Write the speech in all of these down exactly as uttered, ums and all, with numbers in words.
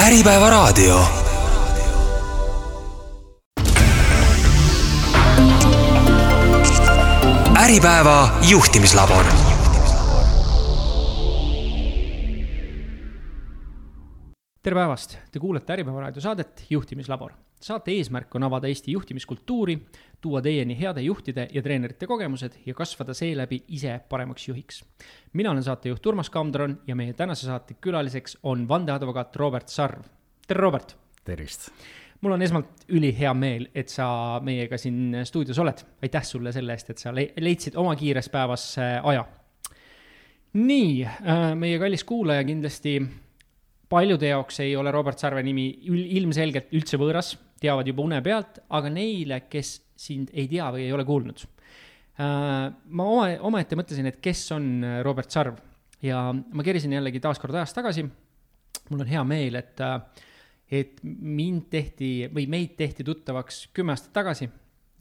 Äripäeva raadio. Äripäeva juhtimislabor. Tere päevast! Te kuulete Äripäeva raadio saadet Juhtimislabor. Saate eesmärk on avada Eesti juhtimiskultuuri, tuua teieni heade juhtide ja treenerite kogemused ja kasvada seeläbi ise paremaks juhiks. Mina olen saatejuht Urmas Kamdron ja meie tänase saate külaliseks on vandeadvokaat Robert Sarv. Tere, Robert! Tervist! Mul on esmalt üli hea meel, et sa meiega siin stuudios oled. Aitäh sulle selle eest, et sa leidsid oma kiires päevas aja. Nii, meie kallis kuulaja kindlasti paljude jaoks ei ole Robert Sarve nimi ilmselgelt üldse võõras, teavad juba une pealt, aga neile, kes sind ei tea või ei ole kuulnud. Ma oma, oma ette mõtlesin, et kes on Robert Sarv ja ma kerisin jällegi taaskord ajast tagasi. Mul on hea meel, et, et mind tehti või meid tehti tuttavaks kümme aastat tagasi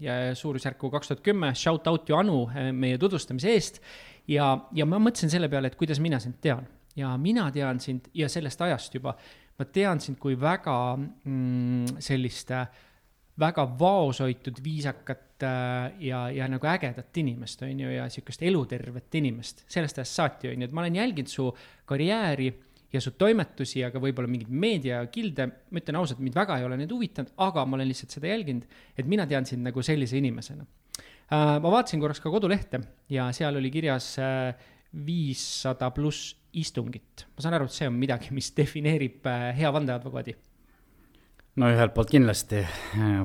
ja suurusjärku kaks tuhat kümme, shout out ju Anu meie tutvustamise eest ja, ja ma mõtlesin selle peale, et kuidas mina sind tean. Ja mina tean sind ja sellest ajast juba, ma tean sind kui väga mm, sellist väga vaosoitud, viisakat ja, ja nagu ägedat inimest on ju, ja sükest elutervet inimest. Sellest ajast saati on ju, et ma olen jälginud su karjääri ja su toimetusi, aga võib-olla mingid meediakilde, ma ütlen ausalt, mind väga ei ole need huvitanud, aga ma olen lihtsalt seda jälginud, et mina tean sind nagu sellise inimesena. Ma vaatasin korraks ka kodulehte ja seal oli kirjas viissada pluss istungit. Ma saan aru, et see on midagi, mis defineerib hea vandeadvokaadi. No ühelt poolt kindlasti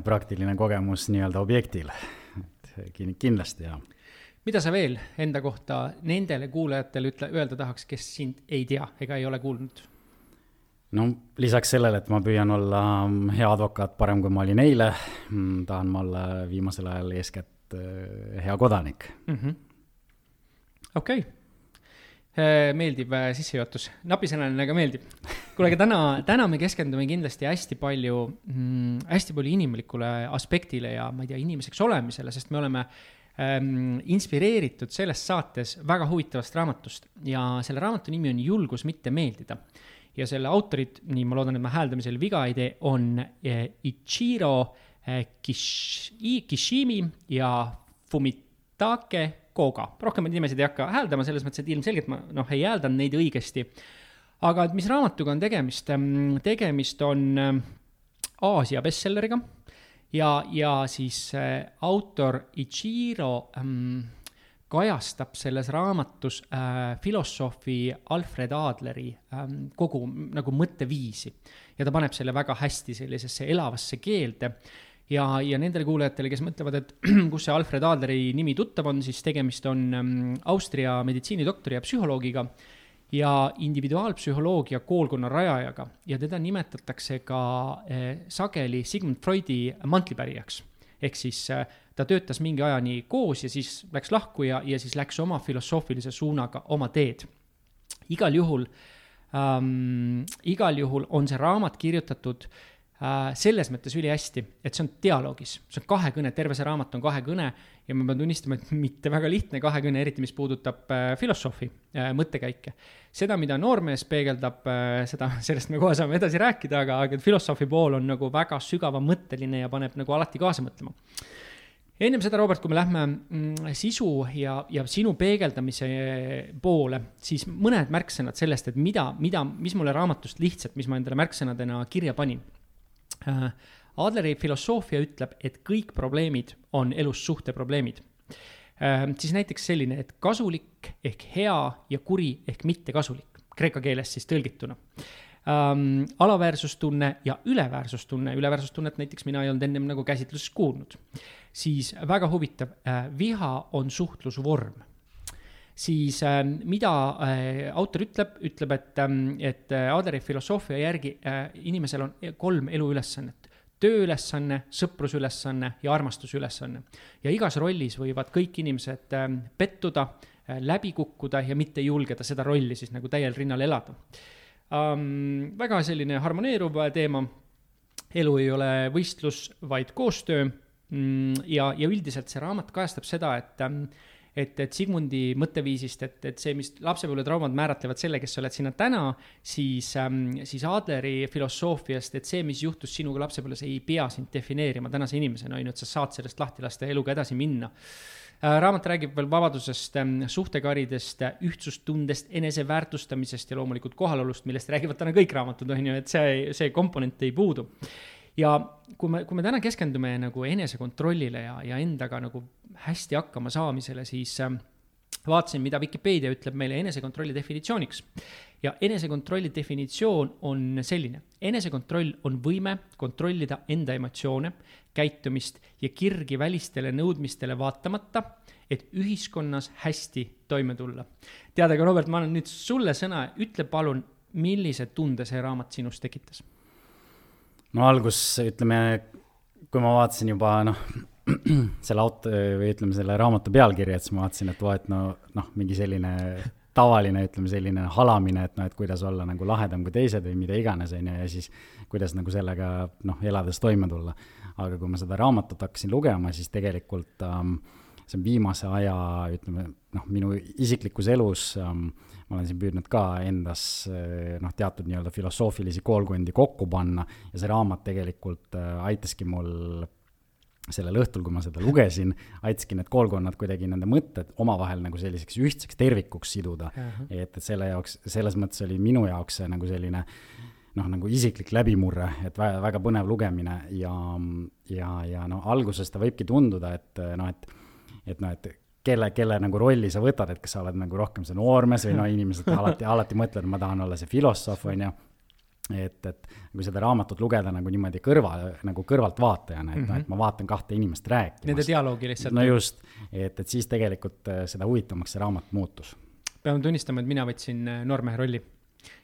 praktiline kogemus nii-öelda objektil. Kindlasti, jah. Mida sa veel enda kohta nendele kuulajatele ütle, öelda tahaks, kes sind ei tea ega ei ole kuulnud? No lisaks sellele, et ma püüan olla hea advokaat parem, kui ma olin eile, tahan ma olla viimasel ajal eeskätt hea kodanik. Mm-hmm. Okei. Okay. Meeldib sissejuhatus. Napisõnaline, aga meeldib. Kuule, täna, täna me keskendume kindlasti hästi palju, mm, hästi palju inimlikule aspektile ja ma ei tea, inimeseks olemisele, sest me oleme ähm, inspireeritud selles saates väga huvitavast raamatust ja selle raamatu nimi on Julgus mitte meeldida. Ja selle autorid, nii ma loodan, et ma hääldamisel viga ei tee, on eh, Ichiro eh, Kish, Kishimi ja Fumitake Koga. Rohkem nimesid ei hakka hääldama, selles mõttes, et ilmselgelt ma no, ei hääldan neid õigesti. Aga mis raamatuga on tegemist? Tegemist on Aasia bestselleriga ja, ja siis autor Ichiro ähm, kajastab selles raamatus äh, filosoofi Alfred Adleri ähm, kogu nagu mõtteviisi ja ta paneb selle väga hästi sellisesse elavasse keelde. Ja, ja nendele kuulajatele, kes mõtlevad, et kus see Alfred Adleri nimi tuttav on, siis tegemist on Austria meditsiinidoktori ja psühholoogiga ja individuaalpsühholoogia koolkonna rajajaga. Ja teda nimetatakse ka eh, sageli Sigmund Freudi mantlipärijaks. Ehk siis eh, ta töötas mingi ajani koos ja siis läks lahku ja, ja siis läks oma filosoofilise suunaga oma teed. Igal juhul, ähm, igal juhul on see raamat kirjutatud selles mõttes üli hästi, et see on dialoogis. See on kahekõne, terve see raamat on kahekõne ja ma pean tunnistama, et mitte väga lihtne kahekõne, eriti mis puudutab filosoofi mõttekäike. Seda, mida noormees peegeldab, seda, sellest me kohe saame edasi rääkida, aga, aga filosoofi pool on nagu väga sügava mõtteline ja paneb nagu alati kaasa mõtlema. Ennem seda, Robert, kui me lähme mm, sisu ja, ja sinu peegeldamise poole, siis mõned märksõnad sellest, et mida, mida, mis mulle raamatust lihtsalt, mis ma endale märksõnadena kirja panin. Adleri filosoofia ütleb, et kõik probleemid on elus suhteprobleemid. Siis näiteks selline, et kasulik ehk hea ja kuri ehk mitte kasulik, kreeka keeles siis tõlgituna. Ähm, alaväärsustunne ja üleväärsustunne, üleväärsustunnet näiteks mina ei olnud ennem nagu käsitluses kuulnud. Siis väga huvitav, äh, viha on suhtlusvorm. Siis äh, mida äh, autor ütleb, ütleb, et, äh, et Adleri filosoofia järgi äh, inimesel on kolm eluülesannet. Tööülesanne, sõprusülesanne ja armastusülesanne. Ja igas rollis võivad kõik inimesed äh, pettuda, äh, läbi kukkuda ja mitte julgeda seda rolli siis nagu täiel rinnal elada. Ähm, väga selline harmoneeruv teema. Elu ei ole võistlus, vaid koostöö. Mm, ja, ja üldiselt see raamat kajastab seda, et, et, et Sigmundi mõtteviisist, et, et see, mis lapsepõlve traumad määratlevad selle, kes sa oled sinna täna, siis, ähm, siis Adleri filosoofiast, et see, mis juhtus sinuga lapsepõlves, ei pea sind defineerima tänase inimesena, ainult sa saad sellest lahti lasta ja eluga edasi minna. Raamat räägib veel vabadusest, suhtekaridest, ühtsustundest, eneseväärtustamisest ja loomulikult kohalolust, millest räägivad täna kõik raamatud, on ju, et see, see komponent ei puudu. Ja kui me, kui me täna keskendume nagu enesekontrollile ja, ja endaga nagu hästi hakkama saamisele, siis vaatasin, mida Wikipedia ütleb meile enesekontrolli definitsiooniks. Ja enesekontrolli definitsioon on selline. Enesekontroll on võime kontrollida enda emotsioone, käitumist ja kirgi välistele nõudmistele vaatamata, et ühiskonnas hästi toime tulla. Teada ka, Robert, ma annan nüüd sulle sõna. Ütle palun, millise tunde see raamat sinust tekitas? No algus, ütleme, kui ma vaatasin juba noh, selle auto, või ütleme selle raamatu pealkirja, et siis ma vaatasin, et vaat no, noh, mingi selline tavaline, ütleme selline halamine, et noh, et kuidas olla nagu lahedam kui teised või mida iganes, ja siis kuidas nagu sellega noh, elades toime tulla. Aga kui ma seda raamatut hakkasin lugema, siis tegelikult ähm, see on viimase aja, ütleme, noh, minu isiklikus elus ähm, ma olen siin püüdnud ka endas noh, teatud nii-öelda filosoofilisi koolkondi kokku panna ja see raamat tegelikult äh, aitaski mul sellel õhtul, kui ma seda lugesin, aitaski need koolkonnad kuidagi nende mõtted omavahel nagu selliseks ühtseks tervikuks siduda. Uh-huh. Et, et selle jaoks, selles mõttes oli minu jaoks see nagu selline noh, nagu isiklik läbimurre, et väga, väga põnev lugemine ja, ja, ja no alguses ta võibki tunduda, et noh, et, et noh, et kelle, kelle nagu rolli sa võtad, et kas sa oled nagu rohkem see noormees või no inimesed alati, alati mõtled, ma tahan olla see filosoof, on ju. Et, et kui seda raamatut lugeda nagu niimoodi kõrva, nagu kõrvalt vaatajana, et, mm-hmm. et ma vaatan kahte inimest rääkimas. Nende dialoogi lihtsalt. No just, et, et siis tegelikult seda huvitavamaks see raamat muutus. Pean tunnistama, et mina võtsin noormehe rolli.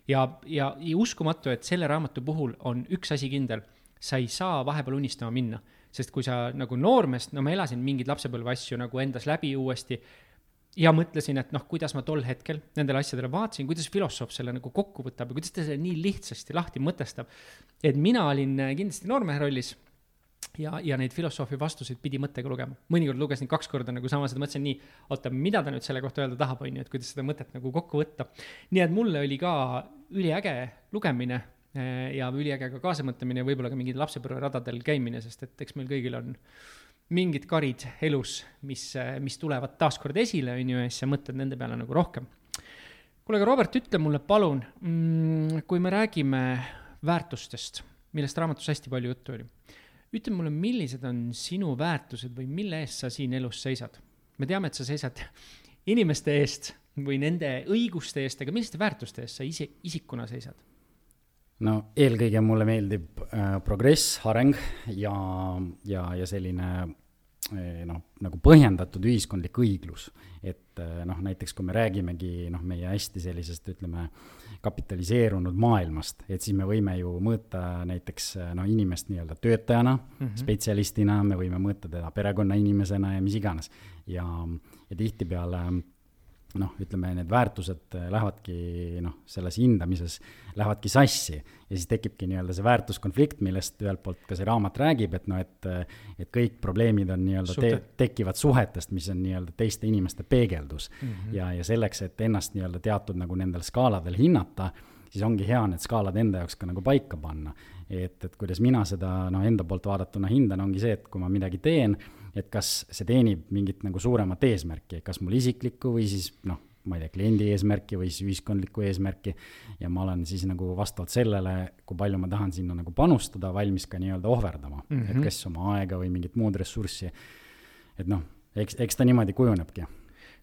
Ja, ja, ja uskumatu, et selle raamatu puhul on üks asi kindel. Sa ei saa vahepeal unistama minna, sest kui sa nagu noormest, no ma elasin mingid lapsepõlve asju nagu endas läbi uuesti ja mõtlesin, et noh, kuidas ma tol hetkel nendele asjadele vaatasin, kuidas filosoof selle nagu kokku võtab ja kuidas ta selle nii lihtsasti lahti mõtestab. Et mina olin kindlasti noormehe rollis ja, ja neid filosoofi vastuseid pidi mõttega lugema. Mõnikord lugesin kaks korda nagu sama, seda mõtlesin nii, oota, mida ta nüüd selle kohta öelda tahab, on ju, et kuidas seda mõtet nagu kokku võtta. Nii et mulle oli ka üliäge lugemine ja üliäge ka kaasamõtlemine ja võib-olla ka mingid lapsepõlve radadel käimine, sest et eks meil kõigil on mingid karid elus, mis, mis tulevad taaskord esile, on ju, ja siis sa mõtled nende peale nagu rohkem. Kuule, aga Robert, ütle mulle palun, kui me räägime väärtustest, millest raamatus hästi palju juttu oli, ütle mulle, millised on sinu väärtused või mille eest sa siin elus seisad? Me teame, et sa seisad inimeste eest või nende õiguste eest, aga milliste väärtuste eest sa isi, isikuna seisad? No eelkõige mulle meeldib äh, progress, areng ja, ja, ja selline äh, noh, nagu põhjendatud ühiskondlik õiglus. Et äh, noh, näiteks kui me räägimegi noh, meie hästi sellisest, ütleme, kapitaliseerunud maailmast, et siis me võime ju mõõta näiteks no, inimest nii-öelda töötajana, mm-hmm. spetsialistina, me võime mõõta teda perekonna inimesena ja mis iganes. Ja, ja tihtipeale noh, ütleme, need väärtused lähevadki, noh, selles hindamises lähevadki sassi ja siis tekibki nii-öelda see väärtuskonflikt, millest ühelt poolt ka see raamat räägib, et noh, et, et kõik probleemid on nii-öelda te, tekivad suhetest, mis on nii-öelda teiste inimeste peegeldus mm-hmm. ja, ja selleks, et ennast nii-öelda teatud nagu nendel skaaladel hinnata, siis ongi hea need skaalad enda jaoks ka nagu paika panna. Et, et kuidas mina seda no, enda poolt vaadatuna hindan, ongi see, et kui ma midagi teen, et kas see teenib mingit nagu suuremat eesmärki, kas mul isiklikku või siis noh, ma ei tea, kliendi eesmärki või siis ühiskondlikku eesmärki ja ma olen siis nagu vastavalt sellele, kui palju ma tahan sinna nagu panustada, valmis ka nii-öelda ohverdama, mm-hmm. et kas oma aega või mingit muud ressurssi. Et noh, eks, eks ta niimoodi kujunebki.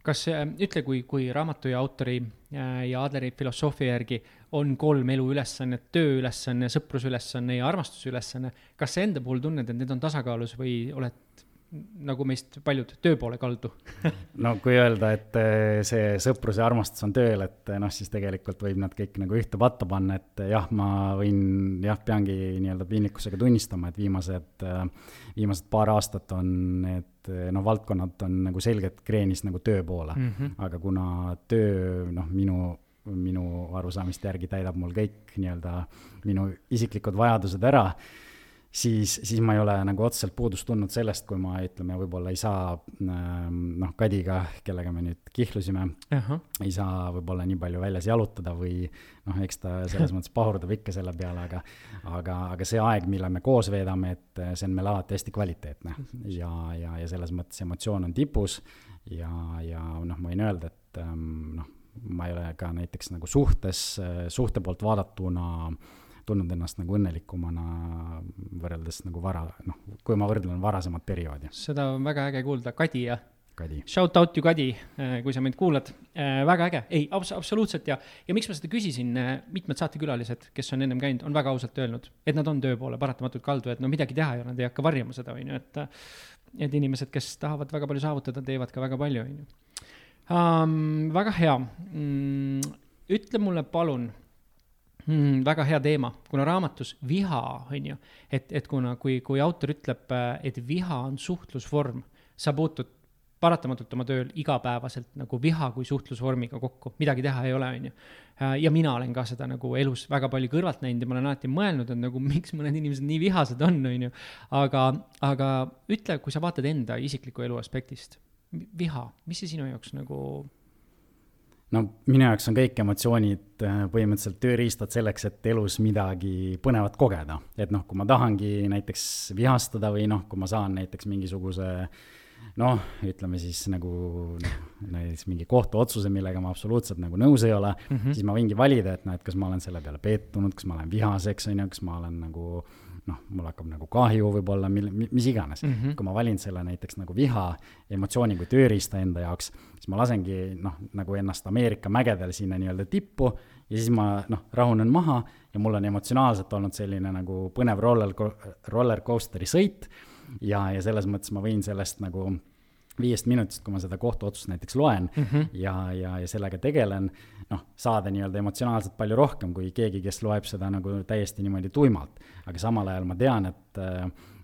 Kas ütle, kui, kui raamatu ja autori ja Adleri filosoofia järgi on kolm elu ülesanne, töö ülesanne, sõprus ülesanne ja armastus ülesanne, kas sa enda puhul tunned, et need on tasakaalus või oled nagu meist paljud töö poole kaldu? No kui öelda, et see sõprus ja armastus on tööl, et noh, siis tegelikult võib nad kõik nagu ühte patta panna, et jah, ma võin, jah, peangi nii-öelda piinlikkusega tunnistama, et viimased, viimased paar aastat on need no, valdkonnad on nagu selgelt kreenis nagu töö poole, mm-hmm. aga kuna töö, noh, minu minu arusaamist järgi täidab mul kõik nii-öelda minu isiklikud vajadused ära, siis, siis ma ei ole nagu otseselt puudust tundnud sellest, kui ma ütleme, võib-olla ei saa noh, Kadiga, kellega me nüüd kihlusime, uh-huh. ei saa võib-olla nii palju väljas jalutada või noh, eks ta selles mõttes pahurdab ikka selle peale, aga, aga, aga see aeg, mille me koos veedame, et see on meil alati hästi kvaliteetne ja, ja, ja selles mõttes emotsioon on tipus ja, ja noh, ma võin öelda, et noh, ma ei ole ka näiteks nagu suhtes, suhte poolt vaadatuna tundnud ennast nagu õnnelikumana võrreldes nagu vara, noh, kui ma võrdlen varasemat perioodi. Seda on väga äge kuulda. Kadi ja Kadi. Shout out you Kadi, kui sa meid kuulad. Väga äge. Ei, abs- absoluutselt ja, ja miks ma seda küsisin, mitmed saatekülalised, kes on ennem käinud, on väga ausalt öelnud, et nad on töö poole paratamatult kaldu, et no midagi teha ja nad ei hakka varjama seda, on ju, et, et inimesed, kes tahavad väga palju saavutada, teevad ka väga palju, on ju. Um, väga hea. Mm, ütle mulle palun, Hmm, väga hea teema, kuna raamatus viha on ju, et, et kuna kui, kui autor ütleb, et viha on suhtlusvorm, sa puutud paratamatult oma tööl igapäevaselt nagu viha kui suhtlusvormiga kokku, midagi teha ei ole, on ju. Ja mina olen ka seda nagu elus väga palju kõrvalt näinud ja ma olen alati mõelnud, et nagu miks mõned inimesed nii vihased on, on ju. Aga, aga ütle, kui sa vaatad enda isikliku elu aspektist, viha, mis see sinu jaoks nagu... No minu jaoks on kõik emotsioonid põhimõtteliselt tööriistad selleks, et elus midagi põnevat kogeda. Et noh, kui ma tahangi näiteks vihastada või noh, kui ma saan näiteks mingisuguse, noh, ütleme siis nagu noh, näiteks mingi kohtuotsuse, millega ma absoluutselt nagu nõus ei ole, mm-hmm. siis ma võingi valida, et noh, et kas ma olen selle peale peetunud, kas ma olen vihaseks, on ju, kas ma olen nagu... noh, mul hakkab nagu kahju võib-olla, mis iganes. Mm-hmm. Kui ma valin selle näiteks nagu viha emotsiooni kui tööriista enda jaoks, siis ma lasengi noh, nagu ennast Ameerika mägedel sinna nii-öelda tippu ja siis ma noh, rahunen maha ja mul on emotsionaalselt olnud selline nagu põnev roller, roller coasteri sõit ja, ja selles mõttes ma võin sellest nagu viiest minutist, kui ma seda kohtuotsust näiteks loen mm-hmm. ja, ja, ja sellega tegelen, noh, saada nii-öelda emotsionaalselt palju rohkem kui keegi, kes loeb seda nagu täiesti niimoodi tuimalt. Aga samal ajal ma tean, et,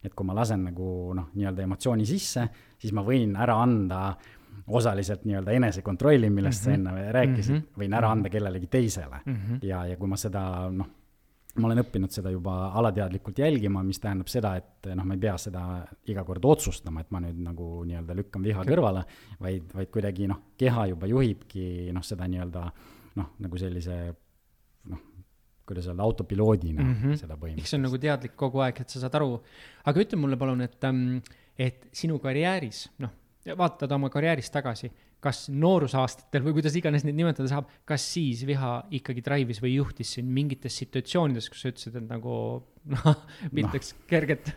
et kui ma lasen nagu noh, nii-öelda emotsiooni sisse, siis ma võin ära anda osaliselt nii-öelda enesekontrolli, millest mm-hmm. sa enne rääkisid, mm-hmm. võin ära anda kellelegi teisele mm-hmm. ja, ja kui ma seda noh, ma olen õppinud seda juba alateadlikult jälgima, mis tähendab seda, et noh, ma ei pea seda iga kord otsustama, et ma nüüd nagu nii-öelda lükkan viha okay. kõrvale, vaid, vaid kuidagi noh, keha juba juhibki noh, seda nii-öelda noh, nagu sellise noh, kuidas öelda, autopiloodina mm-hmm. seda põhimõtteliselt. See on nagu teadlik kogu aeg, et sa saad aru. Aga ütle mulle palun, et, et sinu karjääris, noh, vaatad oma karjääris tagasi, kas noorusaastatel või kuidas iganes neid nimetada saab, kas siis viha ikkagi drive'is või juhtis siin mingites situatsioonides, kus sa ütlesid, et nagu noh, piltaks no. kerget?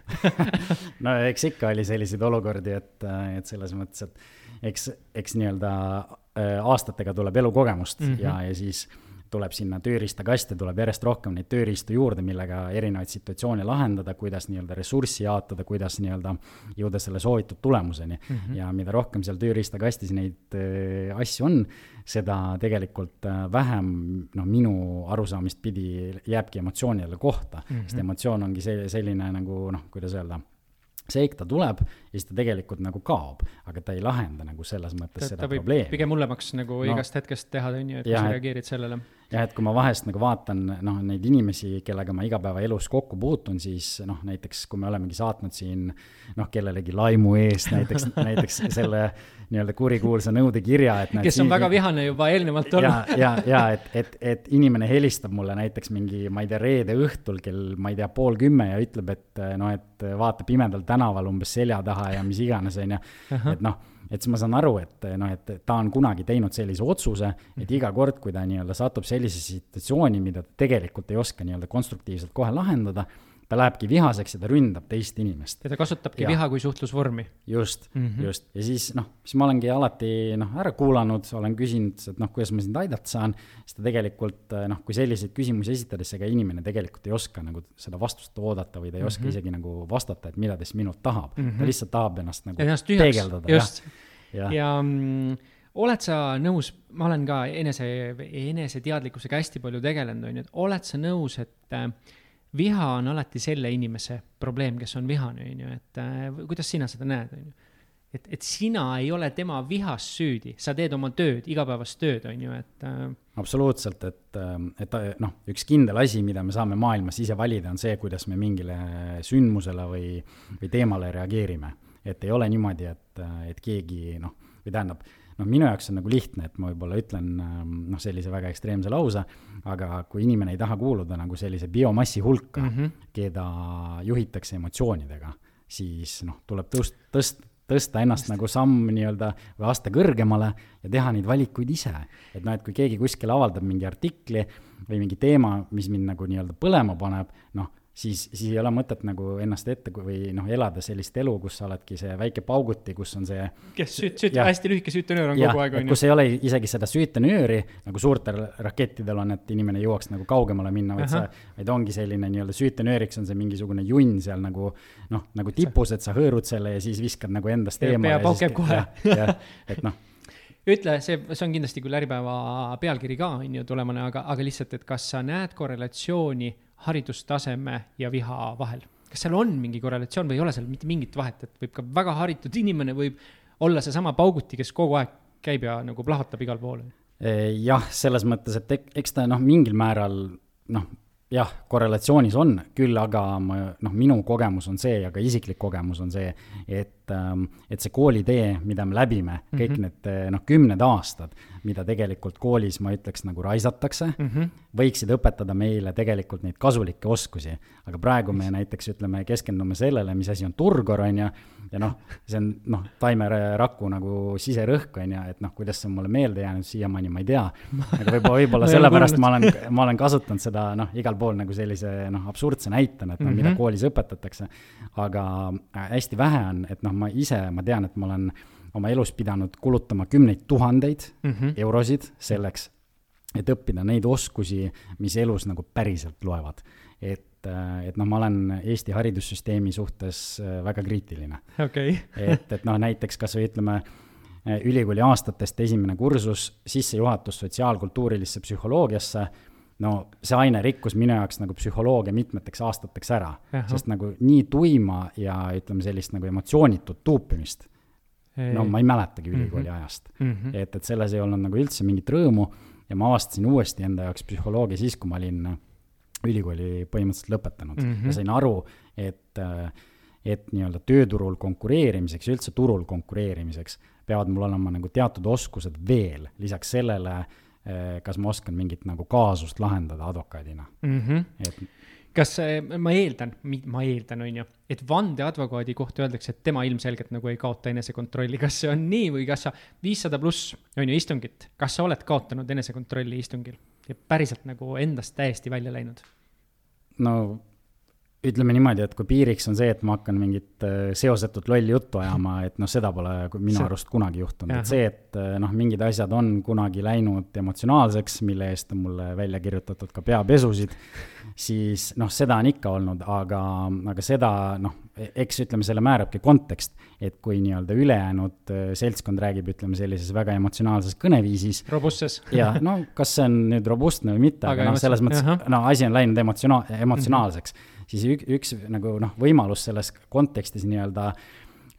No eks ikka oli selliseid olukordi, et, et selles mõttes, et eks, eks nii-öelda aastatega tuleb elukogemust mm-hmm. ja, ja siis tuleb sinna tööriistakaste, tuleb järjest rohkem neid tööriistu juurde, millega erinevaid situatsioone lahendada, kuidas nii-öelda ressurssi jaotada, kuidas nii-öelda jõuda selle soovitud tulemuseni. Mm-hmm. Ja mida rohkem seal tööriistakastis neid äh, asju on, seda tegelikult äh, vähem no, minu arusaamist pidi jääbki emotsioonile kohta. Mm-hmm. Sest emotsioon ongi see, selline nagu, noh, kuidas öelda, seik ta tuleb ja siis ta tegelikult nagu kaob, aga ta ei lahenda nagu selles mõttes ta, seda ta probleemi. Pigem hullemaks nagu no, igast hetkest teha, et kui sa reageerid sellele. Ja et kui ma vahest nagu vaatan no, neid inimesi, kellega ma igapäeva elus kokku puutun, siis noh, näiteks kui me olemegi saatnud siin noh, kellelegi laimu eest näiteks, näiteks selle nii-öelda kurikuulsa nõudekirja. Et kes on siin, väga vihane juba eelnevalt olnud. Ja, ja, ja et, et, et inimene helistab mulle näiteks mingi, ma ei tea, reede õhtul kell, ma ei tea, pool kümme ja ütleb, et no, et vaata pimedal tänaval umbes selja taha ja mis iganes on ja, et noh, et siis ma saan aru, et, no, et ta on kunagi teinud sellise otsuse, et iga kord, kui ta nii-öelda satub sellise situatsiooni, mida ta tegelikult ei oska nii-öelda konstruktiivselt kohe lahendada, ta lähebki vihaseks ja ta ründab teist inimest. Ja ta kasutabki ja. viha kui suhtlusvormi. Just, mm-hmm. just. Ja siis, noh, siis ma olengi alati noh, ära kuulanud, olen küsinud, et noh, kuidas ma sind aidata saan, siis ta tegelikult, noh, kui selliseid küsimusi esitades, ega inimene tegelikult ei oska nagu seda vastust oodata või ta ei oska mm-hmm. isegi nagu vastata, et mida ta siis minult tahab. Mm-hmm. Ta lihtsalt tahab ennast nagu ennast peegeldada. Just. Ja, ja mm, oled sa nõus, ma olen ka enese, enese teadlikkusega hästi palju tegelenud, on ju, oled sa nõus, et äh, viha on alati selle inimese probleem, kes on vihane, on ju, et äh, kuidas sina seda näed, on ju? et, et sina ei ole tema vihas süüdi, sa teed oma tööd, igapäevast tööd, on ju, et äh... absoluutselt, et, et noh, üks kindel asi, mida me saame maailmas ise valida, on see, kuidas me mingile sündmusele või, või teemale reageerime. Et ei ole niimoodi, et, et keegi, noh, või tähendab, noh, minu jaoks on nagu lihtne, et ma võib-olla ütlen noh, sellise väga ekstreemse lause, aga kui inimene ei taha kuuluda nagu sellise biomassi hulka, mm -hmm. keda juhitakse emotsioonidega, siis noh, tuleb tõust, tõst, tõsta ennast Just. nagu samm nii-öelda või aste kõrgemale ja teha neid valikuid ise. Et noh, et kui keegi kuskil avaldab mingi artikli või mingi teema, mis mind nagu nii-öelda põlema paneb, noh, siis, siis ei ole mõtet nagu ennast ette või noh, elada sellist elu, kus sa oledki see väike pauguti, kus on see kes süüt, süüt, hästi lühike süütenöör on ja, kogu aeg. Kus ei ole isegi seda süütenööri, nagu suurtel rakettidel on, et inimene jõuaks nagu kaugemale minna, vaid, sa, vaid ongi selline nii-öelda süütenööriks on see mingisugune junn seal nagu, noh, nagu tipus, et sa hõõrud selle ja siis viskad nagu endast eemale. Pea paukeb kohe. Ja, et noh. Ütle, see, see on kindlasti küll Äripäeva pealkiri ka, on ju tulemane, aga, aga lihtsalt, et kas sa näed korrelatsiooni haridustaseme ja viha vahel? Kas seal on mingi korrelatsioon või ei ole seal mitte mingit vahet, et võib ka väga haritud inimene võib olla see sama pauguti, kes kogu aeg käib ja nagu plahvatab igal pool? Jah, selles mõttes, et eks ta noh, mingil määral noh, jah, korrelatsioonis on, küll aga ma, noh, minu kogemus on see ja ka isiklik kogemus on see, et, et see koolitee, mida me läbime, kõik mm -hmm. need noh, kümned aastad, mida tegelikult koolis, ma ütleks, nagu raisatakse, mm -hmm. võiksid õpetada meile tegelikult neid kasulikke oskusi. Aga praegu me näiteks ütleme, keskendume sellele, mis asi on turgor, on ja, ja noh, see on noh, taimeraku nagu siserõhk, on ja, et noh, kuidas see on mulle meelde jäänud siiamaani, ma ei tea. Aga võib-olla, võib-olla sellepärast ma olen, ma olen kasutanud seda noh, igal pool nagu sellise noh, absurdse näitena, et noh, mm -hmm. mida koolis õpetatakse. Aga hästi vähe on, et noh, ma ise, ma tean, et ma olen oma elus pidanud kulutama kümneid tuhandeid mm -hmm. eurosid selleks, et õppida neid oskusi, mis elus nagu päriselt loevad. Et, et noh, ma olen Eesti haridussüsteemi suhtes väga kriitiline. Okay. et, et noh, näiteks kas või ütleme, ülikooli aastatest esimene kursus, sissejuhatus sotsiaalkultuurilisse psühholoogiasse, no see aine rikkus minu jaoks nagu psühholoogia mitmeteks aastateks ära, Aha. sest nagu nii tuima ja ütleme sellist nagu emotsioonitut tuupimist, ei. no ma ei mäletagi ülikooli mm -hmm. ajast. Mm -hmm. Et, et selles ei olnud nagu üldse mingit rõõmu ja ma avastasin uuesti enda jaoks psühholoogia siis, kui ma olin ülikooli põhimõtteliselt lõpetanud mm -hmm. ja sain aru, et, et nii-öelda tööturul konkureerimiseks ja üldse turul konkureerimiseks peavad mul olema nagu teatud oskused veel, lisaks sellele, kas ma oskan mingit nagu kaasust lahendada advokaadina. Mm -hmm. et, kas ma eeldan, ma eeldan, on ju, et vandeadvokaadi kohta öeldakse, et tema ilmselgelt nagu ei kaota enesekontrolli. Kas see on nii või kas sa viissada pluss, on ju, istungit, kas sa oled kaotanud enesekontrolli istungil ja päriselt nagu endast täiesti välja läinud? No ütleme niimoodi, et kui piiriks on see, et ma hakkan mingit seosetut lolli juttu ajama, et noh, seda pole minu see... arust kunagi juhtunud. Et see, et noh, mingid asjad on kunagi läinud emotsionaalseks, mille eest on mulle välja kirjutatud ka peapesusid, siis noh, seda on ikka olnud, aga, aga seda, noh, eks ütleme, selle määrabki kontekst, et kui nii-öelda ülejäänud seltskond räägib, ütleme sellises väga emotsionaalses kõneviisis. Robustses. Ja no, kas see on nüüd robustne või mitte, aga, aga noh, selles mõttes, Aha. no asi on läinud emotsiona- emotsionaalseks. Mm-hmm. Siis üks, üks nagu noh, võimalus selles kontekstis nii-öelda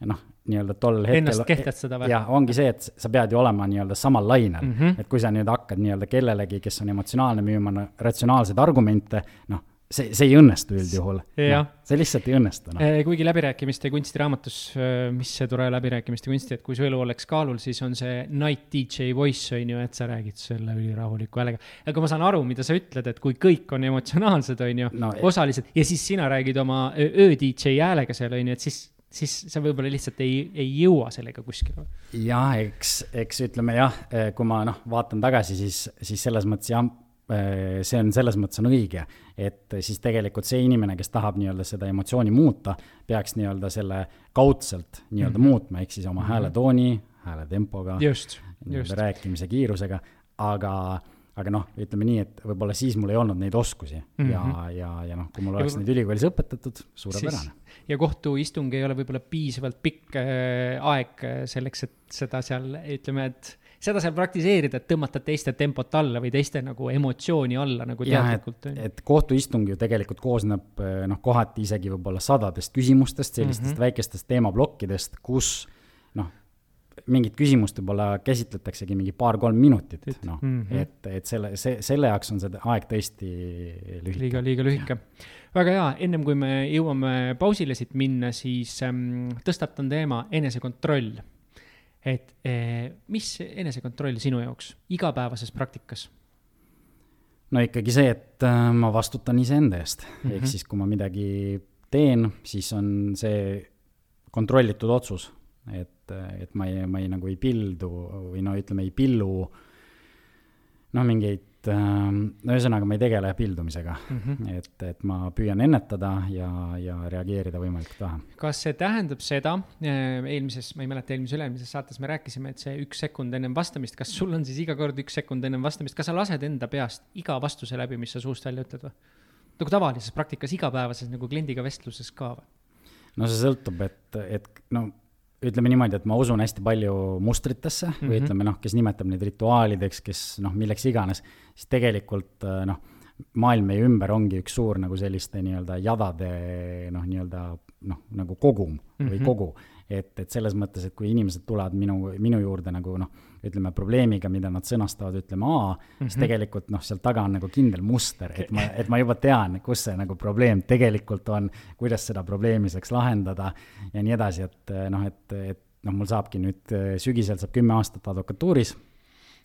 noh, nii-öelda tol hetkel. Ennast kehtestada või? Ja ongi see, et sa pead ju olema nii-öelda samal lainel. Mm -hmm. Et kui sa nüüd hakkad nii-öelda kellelegi, kes on emotsionaalne müüma ratsionaalseid argumente, noh, see, see ei õnnestu üldjuhul. No, see lihtsalt ei õnnestu. No. Kuigi läbirääkimiste kunstiraamatus, mis see tore läbirääkimiste kunsti, et kui su elu oleks kaalul, siis on see night D J voice, on ju, et sa räägid selle ülirahuliku häälega. Aga ma saan aru, mida sa ütled, et kui kõik on emotsionaalsed, on ju, no, osalised, ja siis sina räägid oma öö D J häälega seal, on ju, et siis siis sa võib-olla lihtsalt ei, ei jõua sellega kuskile. Jah, eks, eks ütleme jah, kui ma noh, vaatan tagasi, siis, siis selles mõttes jah, see on selles mõttes on õige, et siis tegelikult see inimene, kes tahab nii-öelda seda emotsiooni muuta, peaks nii-öelda selle kaudselt nii-öelda mm -hmm. muutma, ehk siis oma mm -hmm. hääletooni, hääletempoga, just, just. rääkimise kiirusega, aga aga noh, ütleme nii, et võib-olla siis mul ei olnud neid oskusi mm -hmm. ja, ja, ja noh, kui mul oleks ja, neid ülikoolis õpetatud, suurepärane. Ja kohtuistung ei ole võib-olla piisavalt pikk äh, aeg selleks, et seda seal, ütleme, et seda seal praktiseerida, et tõmmata teiste tempot alla või teiste nagu emotsiooni alla nagu teadlikult. Et, et kohtuistung ju tegelikult koosneb noh, kohati isegi võib-olla sadadest küsimustest, sellistest mm -hmm. väikestest teemaplokkidest, kus noh, mingit küsimust võib-olla käsitletaksegi mingi paar-kolm minutit, noh, mm -hmm. et, et selle, see, selle jaoks on see aeg tõesti lühike. Liiga, liiga lühike. Väga hea, ennem kui me jõuame pausile siit minna, siis ähm, tõstatan teema enesekontroll. Et eh, mis enesekontroll sinu jaoks igapäevases praktikas? No ikkagi see, et äh, ma vastutan iseenda eest. Mm -hmm. Ehk siis, kui ma midagi teen, siis on see kontrollitud otsus. Et, et ma ei, ma ei nagu ei pildu või no ütleme ei pillu noh mingeid, no ühesõnaga ma ei tegele pildumisega, mm -hmm. et, et ma püüan ennetada ja, ja reageerida võimalikult vähe. Kas see tähendab seda, eelmises, ma ei mäleta, eelmises üle-eelmises saates me rääkisime, et see üks sekund ennem vastamist, kas sul on siis iga kord üks sekund ennem vastamist, kas sa lased enda peast iga vastuse läbi, mis sa suust välja ütled või? Nagu tavalises praktikas, igapäevases nagu kliendiga vestluses ka või? No see sõltub, et, et no ütleme niimoodi, et ma usun hästi palju mustritesse mm -hmm. või ütleme, noh, kes nimetab neid rituaalideks, kes noh, milleks iganes, siis tegelikult noh, maailm meie ümber ongi üks suur nagu selliste nii-öelda jadade noh, nii-öelda noh, nagu kogum mm -hmm. või kogu. Et, et selles mõttes, et kui inimesed tulevad minu, minu juurde nagu noh, ütleme probleemiga, mida nad sõnastavad, ütleme A, mm -hmm. siis tegelikult noh, seal taga on nagu kindel muster, et ma, et ma juba tean, kus see nagu probleem tegelikult on, kuidas seda probleemi saaks lahendada ja nii edasi, et noh, et, et noh, mul saabki nüüd sügisel saab kümme aastat advokatuuris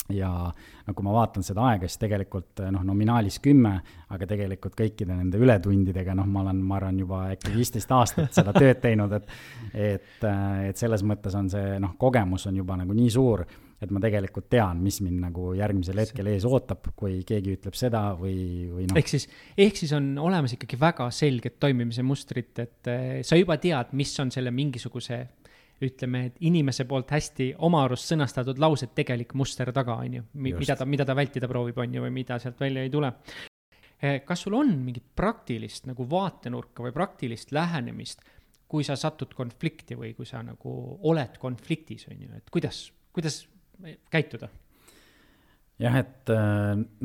ja no kui ma vaatan seda aega, siis tegelikult noh, nominaalis kümme, aga tegelikult kõikide nende ületundidega, noh, ma olen, ma arvan, juba äkki viisteist aastat seda tööd teinud, et, et, et selles mõttes on see, noh, kogemus on juba nagu nii suur, et ma tegelikult tean, mis mind nagu järgmisel hetkel ees ootab, kui keegi ütleb seda või, või noh. Ehk siis, ehk siis on olemas ikkagi väga selged toimimise mustrit, et sa juba tead, mis on selle mingisuguse ütleme, et inimese poolt hästi oma arust sõnastatud laused tegelik muster taga, on ju, mida ta, mida ta vältida proovib, on ju, või mida sealt välja ei tule. Kas sul on mingit praktilist nagu vaatenurka või praktilist lähenemist, kui sa satud konflikti või kui sa nagu oled konfliktis, on ju, et kuidas, kuidas käituda? Jah, et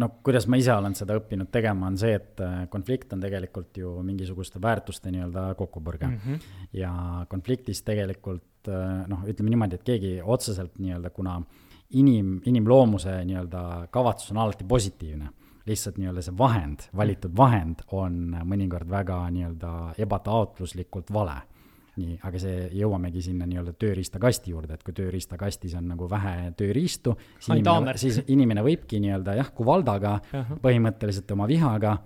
no kuidas ma ise olen seda õppinud tegema, on see, et konflikt on tegelikult ju mingisuguste väärtuste nii-öelda kokkupõrge. Mm -hmm. Ja konfliktis tegelikult, noh, ütleme niimoodi, et keegi otseselt nii-öelda, kuna inim, inimloomuse nii-öelda kavatsus on alati positiivne, lihtsalt nii-öelda see vahend, valitud vahend on mõnikord väga nii-öelda ebataotluslikult vale. Nii, aga see jõuamegi sinna nii-öelda tööriistakasti juurde, et kui tööriistakastis on nagu vähe tööriistu, siis inimene, siis inimene võibki nii-öelda jah, kui valdaga, uh-huh. põhimõtteliselt oma vihaga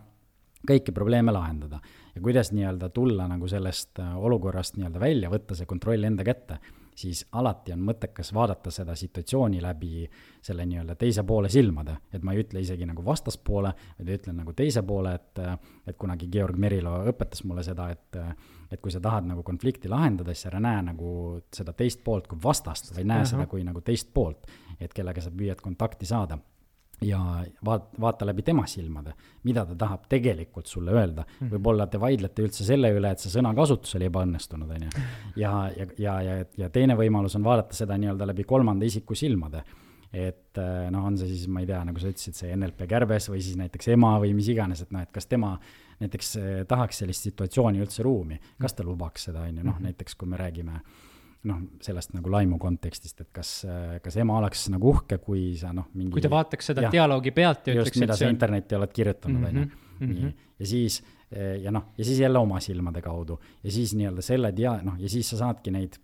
kõiki probleeme lahendada. Ja kuidas nii-öelda tulla nagu sellest olukorrast nii-öelda välja, võtta see kontroll enda kätte, siis alati on mõttekas vaadata seda situatsiooni läbi selle nii-öelda teise poole silmade, et ma ei ütle isegi nagu vastaspoole, vaid ütlen nagu teise poole, et, et kunagi Georg Merilo õpetas mulle seda, et, et kui sa tahad nagu konflikti lahendada, siis ära näe nagu seda teist poolt kui vastast, või näe uh-huh. seda kui nagu teist poolt, et kellega sa püüad kontakti saada. Ja vaat, vaata läbi tema silmade, mida ta tahab tegelikult sulle öelda. Mm. Võib-olla te vaidlete üldse selle üle, et see sõnakasutus oli ebaõnnestunud, on ju. Ja, ja, ja, ja, ja teine võimalus on vaadata seda nii-öelda läbi kolmanda isiku silmade. Et noh, on see siis, ma ei tea, nagu sa ütlesid, see N L P kärbes või siis näiteks ema või mis iganes, et noh, et kas tema näiteks tahaks sellist situatsiooni üldse ruumi, kas ta lubaks seda, on ju, noh, näiteks kui me räägime noh, sellest nagu laimu kontekstist, et kas, kas ema oleks nagu uhke, kui sa noh, mingi... Kui ta vaataks seda ja, dialoogi pealt ja just, ütleks, mida et sa on... internetti oled kirjutanud, mm -hmm, mm -hmm. ja siis, ja noh, ja siis jälle oma silmade kaudu ja siis nii-öelda selle dia-, noh, ja siis sa saadki neid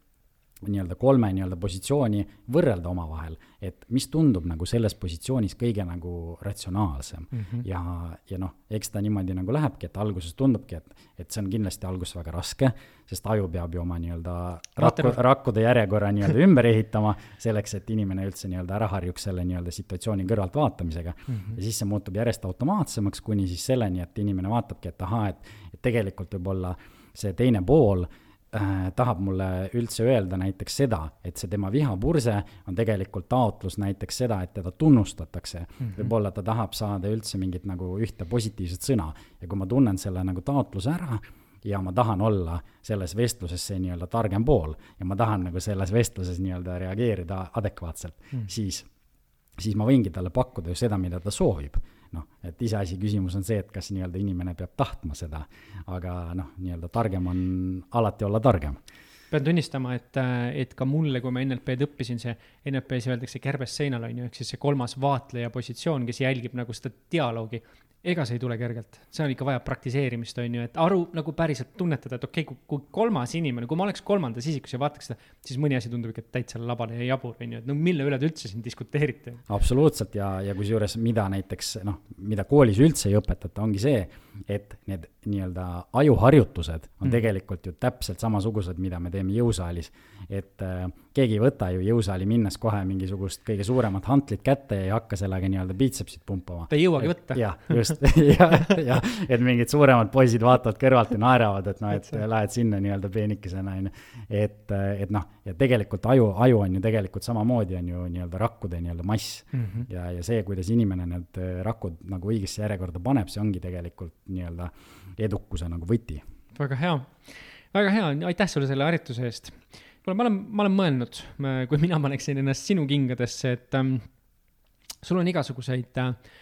nii-öelda kolme nii-öelda positsiooni võrrelda oma vahel, et mis tundub nagu selles positsioonis kõige nagu ratsionaalsem. Mm -hmm. Ja, ja noh, eks ta niimoodi nagu lähebki, et alguses tundubki, et, et see on kindlasti alguses väga raske, sest aju peab ju oma nii-öelda rakku, rakkude järjekorra nii-öelda ümber ehitama selleks, et inimene üldse nii-öelda ära harjuks selle nii-öelda situatsiooni kõrvalt vaatamisega. Mm -hmm. Ja siis see muutub järjest automaatsemaks, kuni siis selleni, et inimene vaatabki, et aha, et, et tegelikult võib-olla see teine pool tahab mulle üldse öelda näiteks seda, et see tema vihapurse on tegelikult taotlus näiteks seda, et teda tunnustatakse. Mm -hmm. Võib-olla ta tahab saada üldse mingit nagu ühte positiivset sõna. Ja kui ma tunnen selle nagu taotluse ära ja ma tahan olla selles vestluses see nii-öelda targem pool ja ma tahan nagu selles vestluses nii-öelda reageerida adekvaatselt, mm -hmm. siis, siis ma võingi talle pakkuda ju seda, mida ta soovib. Noh, et iseasi küsimus on see, et kas nii-öelda inimene peab tahtma seda, aga noh, nii-öelda targem on alati olla targem. pean tunnistama, et, et ka mulle, kui ma N L P-d õppisin, see N L P-s öeldakse kärbes seinal on ju, ehk siis see kolmas vaatleja positsioon, kes jälgib nagu seda dialoogi. Ega see ei tule kergelt. See on ikka vaja praktiseerimist, on ju, et aru nagu päriselt tunnetada, et okei, okay, kui, kui kolmas inimene, kui ma oleks kolmandas isikus ja vaataks seda, siis mõni asi tundub ikka täitsa labane ja jabur, on ju, et no mille üle te üldse siin diskuteerite? Absoluutselt ja, ja kui juures, mida näiteks, noh, mida koolis üldse ei õpetata, ongi see, et need nii-öelda ajuharjutused on mm. tegelikult ju täpselt samasugused, mida me teeme jõusaalis. Et äh, keegi ei võta ju jõusaali minnes kohe mingisugust kõige suuremat hantlit kätte ja ei hakka sellega nii-öelda biitsepsit pumpama. Ta ei jõuagi et, võtta. Jah, just. ja, ja, et mingid suuremad poisid vaatavad kõrvalt ja naeravad, et, no, et lähed sinna nii-öelda peenikesena. Et, et noh, ja tegelikult aju, aju on ju tegelikult samamoodi on ju nii-öelda rakkude nii-öelda mass. Mm-hmm. Ja, ja see, kuidas inimene need rakud nagu õigesse järjekorda paneb, see ongi tegelikult nii-öelda edukuse nagu võti. Väga hea. Väga hea. Aitäh sulle selle harituse eest. Kuule, ma olen, ma olen mõelnud, kui mina paneksin ennast sinu kingadesse, et ähm, sul on igasuguseid äh,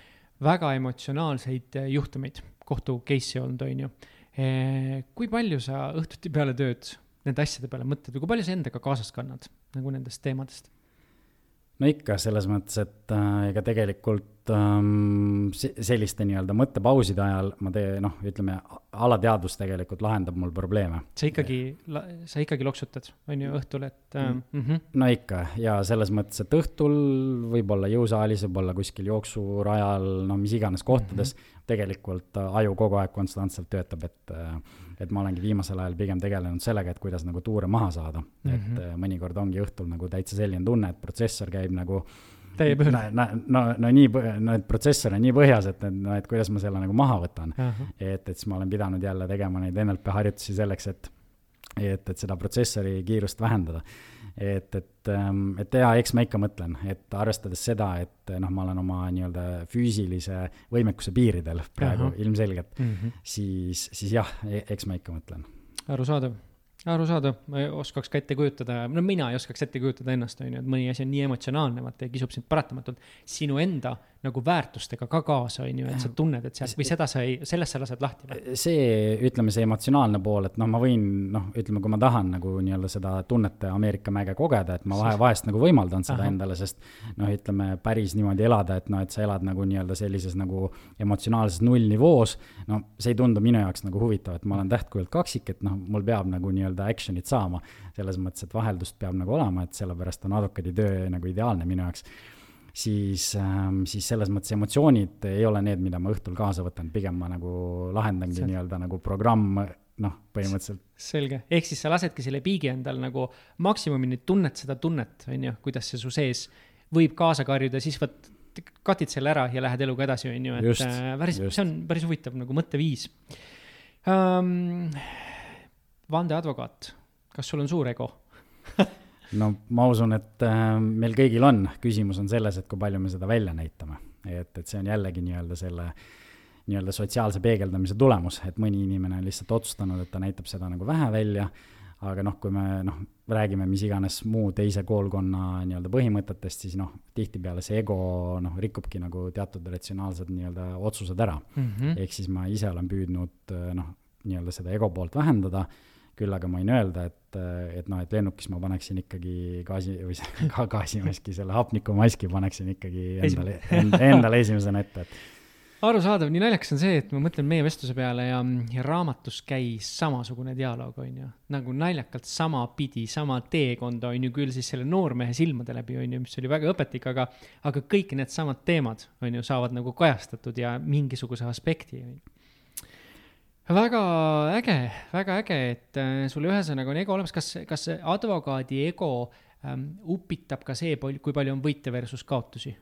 väga emotsionaalseid äh, juhtumeid, kohtu case'i olnud, on ju. E, kui palju sa õhtuti peale tööd nende asjade peale mõtled või kui palju sa endaga kaasas kannad nagu nendest teemadest? No ikka selles mõttes, et äh, ega tegelikult ähm, selliste nii-öelda mõttepauside ajal ma tee, noh, ütleme, alateadvus tegelikult lahendab mul probleeme. Sa ikkagi, sa ikkagi loksutad, on ju õhtul, et äh, mm. mm-hmm. No ikka, ja selles mõttes, et õhtul võib-olla jõusaalis, võib olla kuskil jooksurajal, no mis iganes kohtades, mm-hmm. tegelikult aju kogu aeg konstantselt töötab, et et ma olengi viimasel ajal pigem tegelenud sellega, et kuidas nagu tuure maha saada. Mm-hmm. Et mõnikord ongi õhtul nagu täitsa selline tunne, et protsessor käib nagu no, no, no, no, nii, no et protsessor on nii põhjas, et, no, et kuidas ma selle nagu maha võtan. Uh-huh. Et, et siis ma olen pidanud jälle tegema neid N L P harjutusi selleks, et, et, et seda protsessori kiirust vähendada. Et, et, et ja, eks ma ikka mõtlen, et arvestades seda, et noh, ma olen oma nii-öelda füüsilise võimekuse piiridel praegu uh-huh. ilmselgelt, mm-hmm. siis, siis jah, eks ma ikka mõtlen. Arusaadav. Arusaadav, ma ei oskaks ka ette kujutada, no mina ei oskaks ette kujutada ennast, on ju, et mõni asi on nii emotsionaalne, vaata, ja kisub sind paratamatult sinu enda nagu väärtustega ka kaasa, on ju, et sa tunned, et seal, või seda sa ei, sellest sa lased lahti või? See, ütleme, see emotsionaalne pool, et noh, ma võin, noh, ütleme, kui ma tahan nagu nii-öelda seda tunnete Ameerika mäge kogeda, et ma vahe, vahest nagu võimaldan seda Aha. endale, sest noh, ütleme, päris niimoodi elada, et noh, et sa elad nagu nii-öelda sellises nagu emotsionaalses nullnivoos, no see ei tundu minu jaoks nagu huvitav, et ma olen tähtkujult kaksik, et noh, mul peab nagu nii-öelda actionit saama, selles mõttes, et vaheldust peab nagu olema, et sellepärast on advokaadi töö nagu ideaalne minu jaoks. Siis, ähm, siis selles mõttes emotsioonid ei ole need, mida ma õhtul kaasa võtan, pigem ma nagu lahendangi See... nii-öelda nagu programm, noh, põhimõtteliselt. Selge, ehk siis sa lasedki selle piigi endal nagu maksimumini tunnet seda tunnet, on ju, kuidas see su sees võib kaasa karjuda, siis võt, katid selle ära ja lähed eluga edasi, on ju, et just, päris, just. See on päris huvitav nagu mõtteviis. Um, vandeadvokaat, kas sul on suur ego? No ma usun, et äh, meil kõigil on, küsimus on selles, et kui palju me seda välja näitame, et, et see on jällegi nii-öelda selle nii-öelda sotsiaalse peegeldamise tulemus, et mõni inimene on lihtsalt otsustanud, et ta näitab seda nagu vähe välja, aga noh, kui me noh, räägime mis iganes muu teise koolkonna nii-öelda põhimõtetest, siis noh, tihtipeale see ego noh, rikubki nagu teatud ratsionaalsed nii-öelda otsused ära. Mm-hmm. Ehk siis ma ise olen püüdnud noh, nii-öelda seda ego poolt vähendada, küll aga ma võin öelda, et, et, no, et lennukis ma paneksin ikkagi gaasi, või ka gaasimaski, selle hapnikumaski paneksin ikkagi endale, endale esimesena ette. Et arusaadav, nii naljakas on see, et ma mõtlen meie vestluse peale ja, ja raamatus käis samasugune dialoog, on ju, nagu naljakalt sama pidi, sama teekonda, on ju, küll siis selle noormehe silmade läbi, on ju, mis oli väga õpetlik, aga, aga kõik need samad teemad, on ju, saavad nagu kajastatud ja mingisuguse aspekti, on ju. Väga äge, väga äge, et sulle ühesõnaga on ego olemas. Kas, kas advokaadi ego ähm, upitab ka see, kui palju on võite versus kaotusi?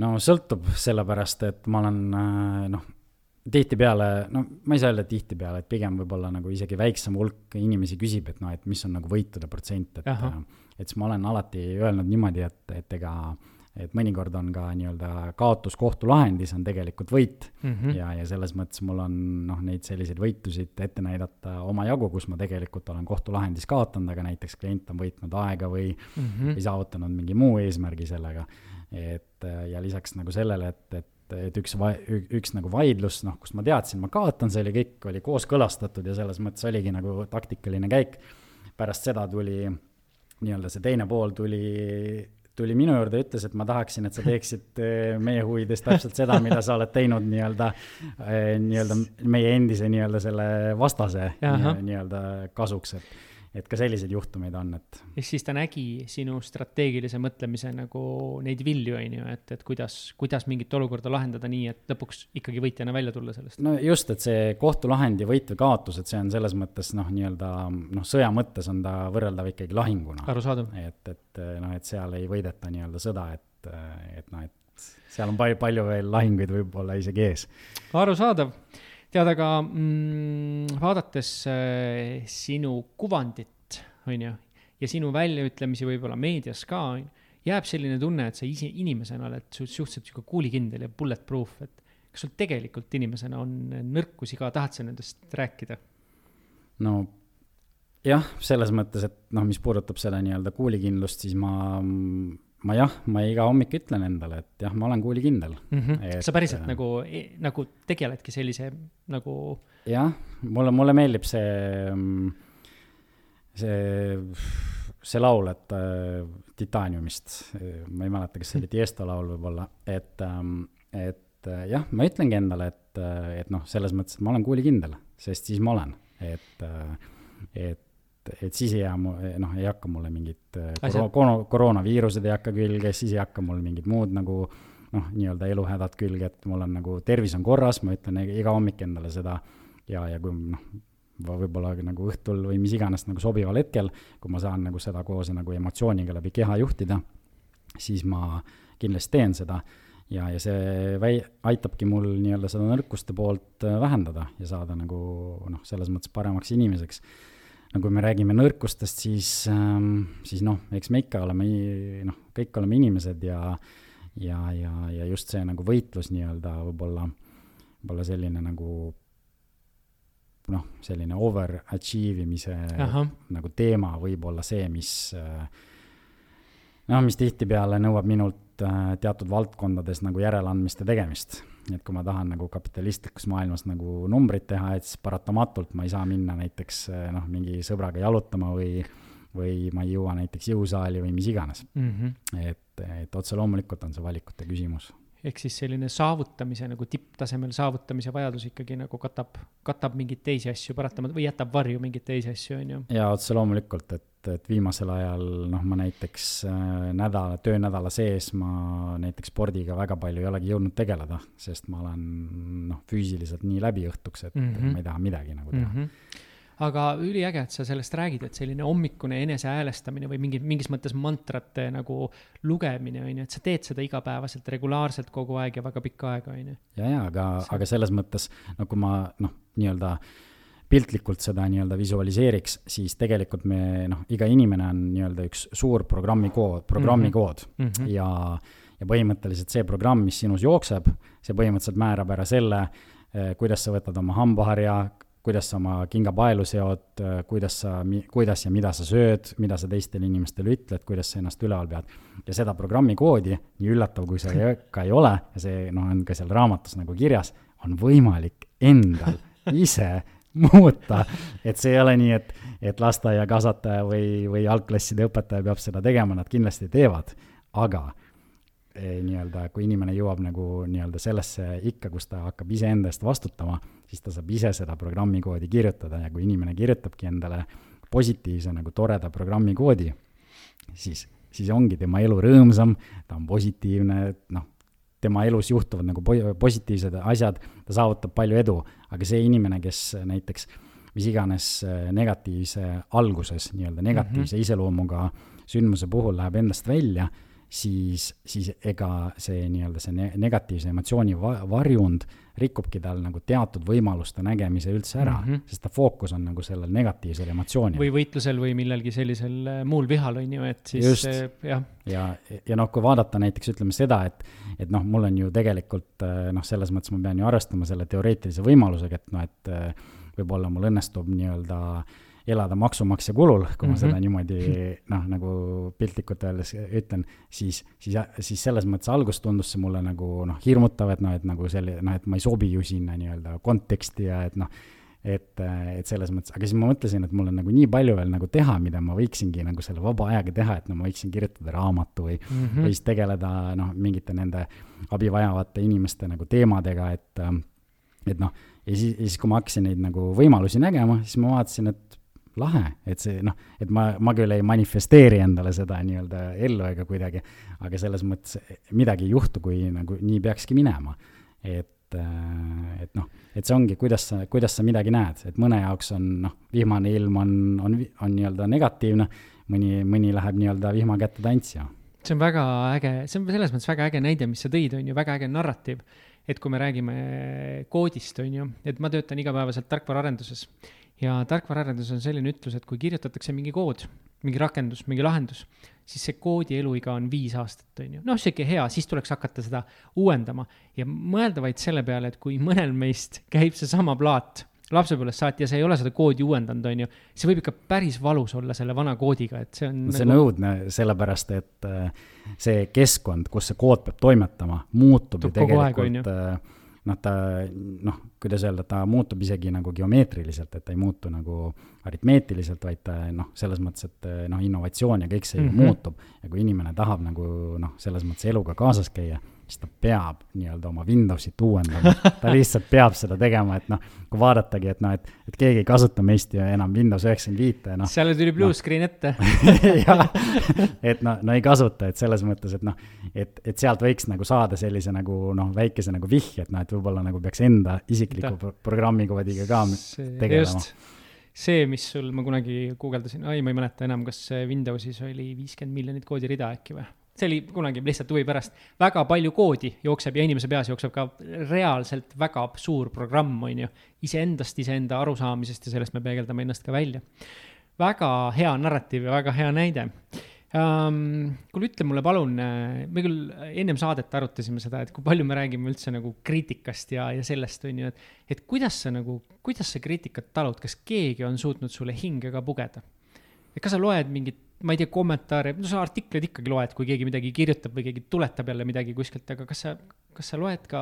No sõltub sellepärast, et ma olen noh, tihtipeale, no ma ei saa öelda tihtipeale, et pigem võib-olla nagu isegi väiksem hulk inimesi küsib, et noh, et mis on nagu võitude protsent, et, et siis ma olen alati öelnud niimoodi, et, et ega et mõnikord on ka nii-öelda kaotus kohtulahendis on tegelikult võit mm-hmm. ja, ja selles mõttes mul on noh, neid selliseid võitusid ette näidata oma jagu, kus ma tegelikult olen kohtulahendis kaotanud, aga näiteks klient on võitnud aega või, mm-hmm. või saavutanud mingi muu eesmärgi sellega. Et, ja lisaks nagu sellele, et, et et üks, va, üks nagu vaidlus, noh, kus ma teadsin, ma kaotan, see oli kõik, oli kooskõlastatud ja selles mõttes oligi nagu taktikaline käik. Pärast seda tuli, nii-öelda see teine pool tuli, tuli minu juurde ja ütles, et ma tahaksin, et sa teeksid meie huvides täpselt seda, mida sa oled teinud nii-öelda, nii-öelda meie endise nii-öelda selle vastase nii-öelda kasuks, et et ka selliseid juhtumeid on, et ja siis ta nägi sinu strateegilise mõtlemise nagu neid vilju, on ju, et, et kuidas, kuidas mingit olukorda lahendada nii, et lõpuks ikkagi võitjana välja tulla sellest. No just, et see kohtulahendi võit või kaotus, et see on selles mõttes noh, nii-öelda noh, sõja mõttes on ta võrreldav ikkagi lahinguna. Arusaadav. Et, et noh, et seal ei võideta nii-öelda sõda, et, et noh, et seal on palju, palju veel lahinguid võib-olla isegi ees. Arusaadav. Tead, aga mm, vaadates äh, sinu kuvandit, on ju, ja sinu väljaütlemisi võib-olla meedias ka, jääb selline tunne, et sa isi, inimesena oled suhteliselt siuke kuulikindel ja bulletproof, et kas sul tegelikult inimesena on nõrkusi ka, tahad sa nendest rääkida? No jah, selles mõttes, et noh, mis puudutab seda nii-öelda kuulikindlust, siis ma ma jah, ma iga hommik ütlen endale, et jah, ma olen kuulikindel. Mm-hmm. Et, sa päriselt äh, nagu, nagu tegeledki sellise nagu... Jah, mulle, mulle meeldib see, see, see laul, et äh, Titaniumist, ma ei mäleta, kas see oli Tiesto laul võib-olla, et, et jah, ma ütlengi endale, et, et noh, selles mõttes, et ma olen kuulikindel, sest siis ma olen, et, et et siis ei, jää, noh, ei hakka mulle mingid koro- koroonaviirused ei hakka külge, siis ei hakka mul mingid muud nagu noh, nii-öelda eluhädad külge, et mul on nagu tervis on korras, ma ütlen iga hommik endale seda ja, ja kui noh, võib-olla nagu õhtul või mis iganes nagu sobival hetkel, kui ma saan nagu seda koos nagu emotsiooniga läbi keha juhtida, siis ma kindlasti teen seda ja, ja see väi, aitabki mul nii-öelda seda nõrkuste poolt vähendada ja saada nagu noh, selles mõttes paremaks inimeseks. No kui me räägime nõrkustest, siis, ähm, siis noh, eks me ikka oleme, noh, kõik oleme inimesed ja, ja, ja, ja just see nagu võitlus nii-öelda võib-olla, võib-olla selline nagu noh, selline overachiev'imise nagu teema võib-olla see, mis noh, mis tihtipeale nõuab minult äh, teatud valdkondades nagu järeleandmiste tegemist. Et kui ma tahan nagu kapitalistlikus maailmas nagu numbrid teha, et siis paratamatult ma ei saa minna näiteks noh, mingi sõbraga jalutama või, või ma ei jõua näiteks jõusaali või mis iganes. Mm-hmm. Et, et otse loomulikult on see valikute küsimus. Ehk siis selline saavutamise, nagu tipptasemel saavutamise vajadus ikkagi nagu katab, katab mingeid teisi asju paratamat või jätab varju mingeid teisi asju, on ju? Ja otse loomulikult, et, et viimasel ajal noh, ma näiteks nädala, töönädala sees ma näiteks spordiga väga palju ei olegi jõudnud tegeleda, sest ma olen noh, füüsiliselt nii läbi õhtuks, et mm-hmm. ma ei taha midagi nagu teha. Mm-hmm. Aga üliäge, et sa sellest räägid, et selline hommikune enese häälestamine või mingi, mingis mõttes mantrate nagu lugemine, on ju, et sa teed seda igapäevaselt, regulaarselt kogu aeg ja väga pikka aega, on ju. Ja, ja, aga, aga selles mõttes, no kui ma noh, nii-öelda piltlikult seda nii-öelda visualiseeriks, siis tegelikult me, noh, iga inimene on nii-öelda üks suur programmikood, programmikood mm-hmm. ja, ja põhimõtteliselt see programm, mis sinus jookseb, see põhimõtteliselt määrab ära selle, kuidas sa võtad oma hambaharja, kuidas sa oma kingapaelu seod, kuidas, sa, kuidas ja mida sa sööd, mida sa teistele inimestele ütled, kuidas sa ennast üleval pead. Ja seda programmikoodi, nii üllatav kui see ka ei ole, ja see no, on ka seal raamatus nagu kirjas, on võimalik endal ise muuta. Et see ei ole nii, et, et lasteaia kasvataja või, või algklasside õpetaja peab seda tegema, nad kindlasti teevad, aga nii-öelda, kui inimene jõuab nagu nii-öelda sellesse ikka, kus ta hakkab ise enda eest vastutama, siis ta saab ise seda programmikoodi kirjutada ja kui inimene kirjutabki endale positiivse nagu toreda programmikoodi, siis, siis ongi tema elu rõõmsam, ta on positiivne, noh, tema elus juhtuvad nagu positiivsed asjad, ta saavutab palju edu, aga see inimene, kes näiteks mis iganes negatiivse alguses, nii-öelda negatiivse mm-hmm. iseloomuga sündmuse puhul läheb endast välja, siis, siis ega see nii-öelda see negatiivse emotsiooni varjund rikubki tal nagu teatud võimaluste nägemise üldse ära, mm-hmm. sest ta fookus on nagu sellel negatiivsel emotsioonil. Või võitlusel või millelgi sellisel muul vihal on ju, et siis just, jah. Ja, ja noh, kui vaadata näiteks ütleme seda, et, et noh, mul on ju tegelikult noh, selles mõttes ma pean ju arvestama selle teoreetilise võimalusega, et noh, et võib-olla mul õnnestub nii-öelda elada maksumaksja kulul, kui ma mm-hmm. seda niimoodi noh, nagu piltlikult öeldes ütlen, siis, siis, siis selles mõttes algus tundus see mulle nagu noh, hirmutav, et noh, et nagu selle, noh, et ma ei sobi ju sinna nii-öelda konteksti ja et noh, et, et selles mõttes, aga siis ma mõtlesin, et mul on nagu nii palju veel nagu teha, mida ma võiksingi nagu selle vaba ajaga teha, et no ma võiksin kirjutada raamatu või mm-hmm. või siis tegeleda noh, mingite nende abivajavate inimeste nagu teemadega, et, et noh, ja siis, ja siis kui ma hakkasin neid nagu võimalusi nägema, siis ma vaatasin, et lahe, et see noh, et ma, ma küll ei manifesteeri endale seda nii-öelda ellu ega kuidagi, aga selles mõttes midagi ei juhtu, kui nagu nii peakski minema, et et noh, et see ongi, kuidas sa, kuidas sa midagi näed, et mõne jaoks on noh, vihmane ilm on, on, on nii-öelda negatiivne, mõni, mõni läheb nii-öelda vihma kätte tantsima. See on väga äge, see on selles mõttes väga äge näide, mis sa tõid, on ju väga äge narratiiv, et kui me räägime koodist, on ju, et ma töötan igapäevaselt tarkvaraarenduses ja tarkvaraarenduses on selline ütlus, et kui kirjutatakse mingi kood, mingi rakendus, mingi lahendus, siis see koodi eluiga on viis aastat, on ju. Noh, see hea, siis tuleks hakata seda uuendama ja mõelda vaid selle peale, et kui mõnel meist käib see sama plaat lapsepõlvest saati ja see ei ole seda koodi uuendanud, on ju, see võib ikka päris valus olla selle vana koodiga, et see on see nagu... nõudne sellepärast, et see keskkond, kus see kood peab toimetama, muutub ju tegelikult aeg, noh, ta, noh, kuidas öelda, ta muutub isegi nagu geomeetriliselt, et ta ei muutu nagu aritmeetiliselt, vaid ta, noh, selles mõttes, et noh, innovatsioon ja kõik see mm-hmm. muutub. Ja kui inimene tahab nagu, noh, selles mõttes eluga kaasas käia, siis ta peab nii-öelda oma Windowsit uuendama. Ta lihtsalt peab seda tegema, et noh, kui vaadatagi, et noh, et, et keegi ei kasuta meist ju enam Windows üheksakümmend viis. No, seal tuli blue no. screen ette. ja, et no, no ei kasuta, et selles mõttes, et noh, et, et sealt võiks nagu saada sellise nagu noh, väikese nagu vihje, et noh, et võib-olla nagu peaks enda isikliku Ta. programmikoodiga ka see, tegelema. Just. See, mis sul, ma kunagi guugeldasin, ai, ma ei mäleta enam, kas Windowsis oli viiskümmend miljonit koodi-rida äkki või? See oli kunagi lihtsalt huvi pärast. Väga palju koodi jookseb ja inimese peas jookseb ka reaalselt väga suur programm, on ju. Iseendast, iseenda arusaamisest ja sellest me peegeldame ennast ka välja. Väga hea narratiiv ja väga hea näide. Um, kui ütle mulle palun, me küll ennem saadet arutasime seda, et kui palju me räägime üldse nagu kriitikast ja, ja sellest on ju, et, et kuidas sa nagu, kuidas sa kriitikat talud, kas keegi on suutnud sulle hinge ka pugeda? Et kas sa loed mingit, ma ei tea, kommentaare, no sa artiklid ikkagi loed, kui keegi midagi kirjutab või keegi tuletab jälle midagi kuskilt, aga kas sa, kas sa loed ka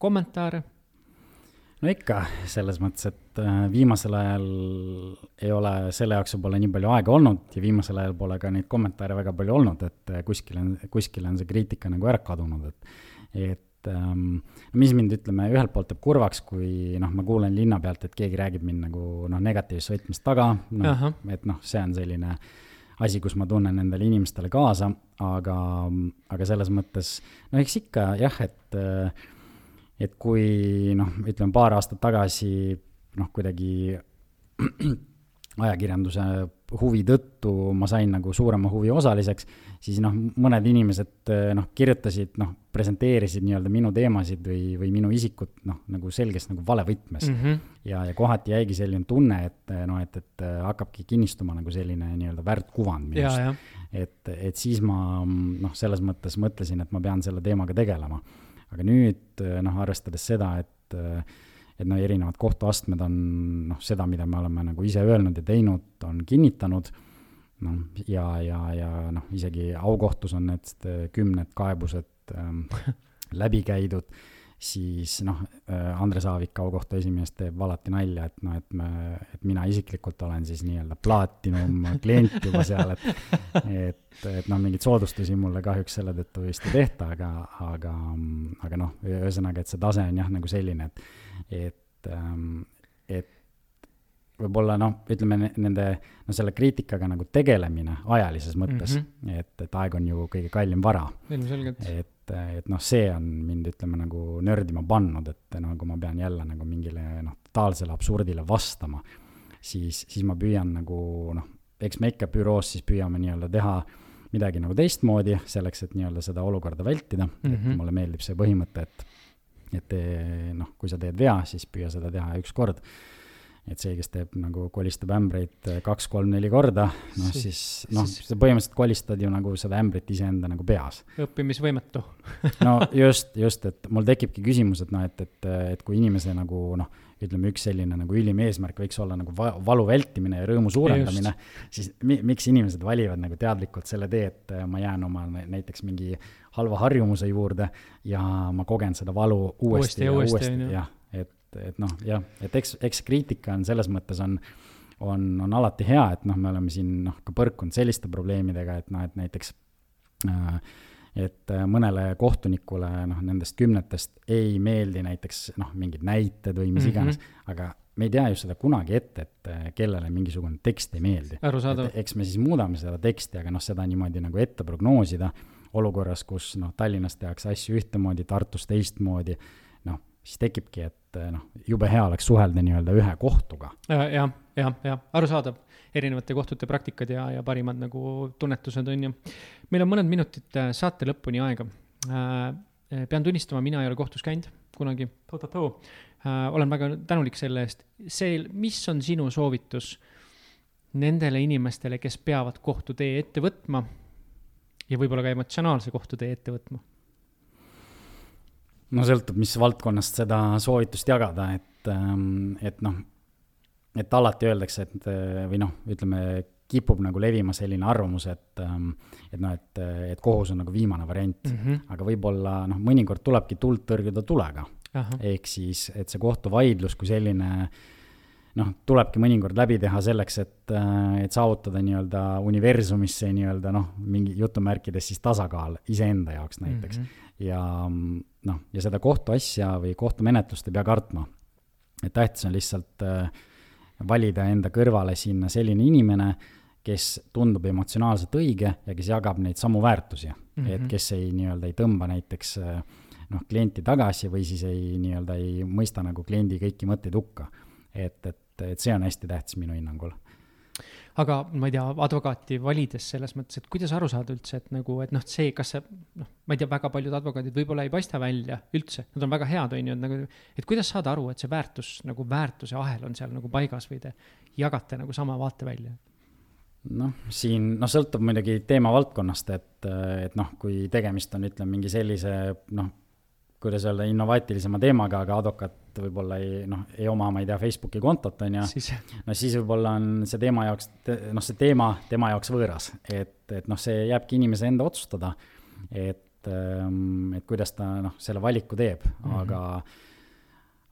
kommentaare? No ikka, selles mõttes, et viimasel ajal ei ole selle jaoks pole nii palju aega olnud ja viimasel ajal pole ka neid kommentaare väga palju olnud, et kuskil on, kuskil on see kriitika nagu ära kadunud, et, et ähm, mis mind ütleme ühelt poolt teeb kurvaks, kui noh, ma kuulen linna pealt, et keegi räägib mind nagu noh, negatiivses võtmist taga, noh, et noh, see on selline asi, kus ma tunnen nendele inimestele kaasa, aga, aga selles mõttes, no eks ikka jah, et et kui noh, ütleme paar aastat tagasi noh, kuidagi ajakirjanduse huvi tõttu ma sain nagu suurema huvi osaliseks, siis noh, mõned inimesed noh, kirjutasid, noh, presenteerisid nii-öelda minu teemasid või, või minu isikut noh, nagu selgest nagu valevõtmes. Mm-hmm. Ja, ja kohati jäigi selline tunne, et noh, et, et hakkabki kinnistuma nagu selline nii-öelda väärtkuvand minust. Et, et siis ma noh, selles mõttes mõtlesin, et ma pean selle teemaga tegelema. Aga nüüd noh, arvestades seda, et, et no, erinevad kohtuastmed on noh, seda, mida me oleme nagu ise öelnud ja teinud, on kinnitanud no, ja, ja, ja noh, isegi aukohtus on need kümned kaebused ähm, läbi käidud, siis noh, Andres Aavik aukohtu esimees teeb alati nalja, et noh, et, me, et mina isiklikult olen siis nii-öelda plaatinum klient juba seal, et, et, et noh, mingid soodustusi mulle kahjuks selle tõttu vist ei tehta, aga, aga, aga noh, ühesõnaga, et see tase on jah, nagu selline, et, et, et võib-olla noh, ütleme nende, no selle kriitikaga nagu tegelemine ajalises mõttes, mm-hmm. et, et aeg on ju kõige kallim vara. Et, et noh, see on mind ütleme nagu nördima pannud, et nagu ma pean jälle nagu mingile noh, totaalsele absurdile vastama, siis, siis ma püüan nagu noh, eks me ikka büroos siis püüame nii-öelda teha midagi nagu teistmoodi, selleks, et nii-öelda seda olukorda vältida, mm-hmm. et mulle meeldib see põhimõte, et, et noh, kui sa teed vea, siis püüa seda teha üks kord. et see, kes teeb nagu kolistab ämbreid kaks, kolm, neli korda, noh siis, noh, sa põhimõtteliselt kolistad ju nagu seda ämbrit iseenda nagu peas. Õppimisvõimetu. no just, just, et mul tekibki küsimus, et noh, et, et, et kui inimese nagu noh, ütleme üks selline nagu ülim eesmärk võiks olla nagu valu vältimine ja rõõmu suurendamine, siis mi, miks inimesed valivad nagu teadlikult selle tee, et ma jään oma näiteks mingi halva harjumuse juurde ja ma kogen seda valu uuesti, uuesti ja uuesti, uuesti jah, et et noh, jah, et eks, eks kriitika on selles mõttes on, on, on alati hea, et noh, me oleme siin noh, ka põrkunud selliste probleemidega, et noh, et näiteks äh, et mõnele kohtunikule noh, nendest kümnetest ei meeldi näiteks noh, mingid näited või mis iganes, mm-hmm. aga me ei tea ju seda kunagi ette, et kellele mingisugune tekst ei meeldi. Eks me siis muudame seda teksti, aga noh, seda niimoodi nagu ette prognoosida olukorras, kus noh, Tallinnas tehakse asju ühtemoodi, Tartus teistmoodi, noh, siis tekibki, et noh, jube hea oleks suhelda nii-öelda ühe kohtuga. Ja, ja, ja, ja aru saadab erinevate kohtute praktikad ja, ja parimad nagu tunnetused on ju. Meil on mõned minutid saate lõpuni aega. Äh, pean tunnistama, mina ei ole kohtus käinud kunagi. Äh, olen väga tänulik selle eest. See, mis on sinu soovitus nendele inimestele, kes peavad kohtutee ette võtma ja võib-olla ka emotsionaalse kohtutee ette võtma? No sõltub, mis valdkonnast seda soovitust jagada, et, et noh, et alati öeldakse, et või noh, ütleme, kipub nagu levima selline arvamus, et, et noh, et, et kohus on nagu viimane variant, mm-hmm. aga võib-olla noh, mõnikord tulebki tuld tõrjuda tulega. Aha. Ehk siis, et see kohtuvaidlus kui selline noh, tulebki mõnikord läbi teha selleks, et, et saavutada nii-öelda universumisse nii-öelda noh, mingi jutumärkides siis tasakaal iseenda jaoks näiteks. Mm-hmm. Ja noh, ja seda kohtuasja või kohtumenetlust ei pea kartma. Et tähtis on lihtsalt äh, valida enda kõrvale sinna selline inimene, kes tundub emotsionaalselt õige ja kes jagab neid samu väärtusi. Mm-hmm. Et kes ei nii-öelda ei tõmba näiteks noh, klienti tagasi või siis ei nii-öelda ei mõista nagu kliendi kõiki mõtteid hukka. Et, et, et see on hästi tähtis minu hinnangul. Aga ma ei tea, advokaati valides selles mõttes, et kuidas aru saada üldse, et nagu, et noh, see, kas see, noh, ma ei tea, väga paljud advokaadid võib-olla ei paista välja üldse, nad on väga head, on ju, et, nagu, et kuidas saada aru, et see väärtus, nagu väärtuse ahel on seal nagu paigas või te jagate nagu sama vaate välja? Noh, siin, noh, sõltub muidugi teema valdkonnast, et, et noh, kui tegemist on, ütleme, mingi sellise, noh, kuidas öelda, innovaatilisema teemaga, aga advokaat võib-olla ei, noh, ei oma, ma ei tea, Facebooki kontot on ja siis. No siis võib-olla on see teema jaoks, noh, see teema tema jaoks võõras, et, et noh, see jääbki inimese enda otsustada, et, et kuidas ta noh, selle valiku teeb, mm-hmm. aga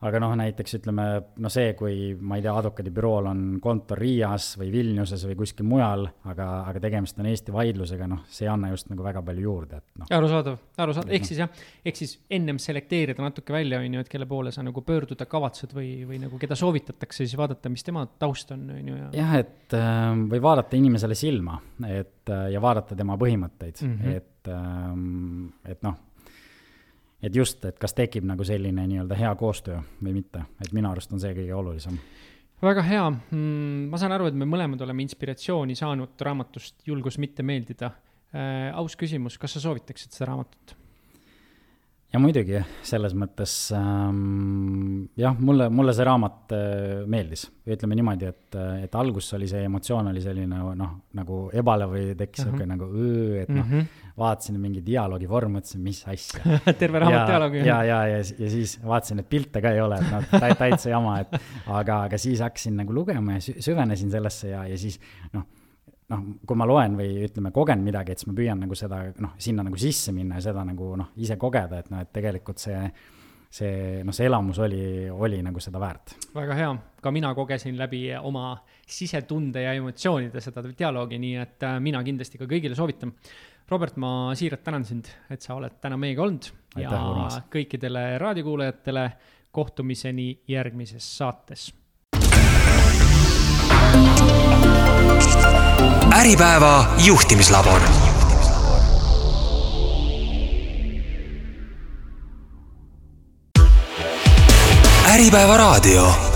aga noh, näiteks ütleme, no see, kui ma ei tea, advokaadibürool on kontor Riias või Vilniuses või kuskil mujal, aga, aga tegemist on Eesti vaidlusega, noh, see ei anna just nagu väga palju juurde. Et, noh. Arusaadav, arusaadav. Ehk siis jah, ehk siis ennem selekteerida natuke välja, on ju, et kelle poole sa nagu pöörduda kavatsed või, või nagu keda soovitatakse, siis vaadata, mis tema taust on. on ju, ja... jah, et või vaadata inimesele silma et, ja vaadata tema põhimõtteid, mm-hmm. et, et noh, et just, et kas tekib nagu selline nii-öelda hea koostöö või mitte, et minu arust on see kõige olulisem. Väga hea. Ma saan aru, et me mõlemad oleme inspiratsiooni saanud raamatust Julgus mitte meeldida. Äh, aus küsimus, kas sa soovitaksid seda raamatut? Ja muidugi, selles mõttes ähm, jah, mulle, mulle see raamat äh, meeldis. Ütleme niimoodi, et, et algus oli see emotsioon oli selline noh, nagu ebale või tekkis uh-huh. nagu öö, et noh, uh-huh. vaatasin mingi dialoogi vorm, mõtlesin, mis asja. Terve raamat dialoogi. Ja, ja, ja, ja siis vaatasin, et pilte ka ei ole, et noh, täitsa jama, et, aga, aga siis hakkasin nagu lugema ja süvenesin sellesse ja, ja siis noh, noh, kui ma loen või ütleme, kogen midagi, et siis ma püüan nagu seda, noh, sinna nagu sisse minna ja seda nagu, noh, ise kogeda, et noh, et tegelikult see, see, noh, see elamus oli, oli nagu seda väärt. Väga hea. Ka mina kogesin läbi oma sisetunde ja emotsioonide seda dialoogi, nii et mina kindlasti ka kõigile soovitan. Robert, ma siiralt tänan sind, et sa oled täna meiega olnud. Aitäh, ja Urmas. Kõikidele raadiokuulajatele kohtumiseni järgmises saates. Äripäeva juhtimislabor. Äripäeva raadio.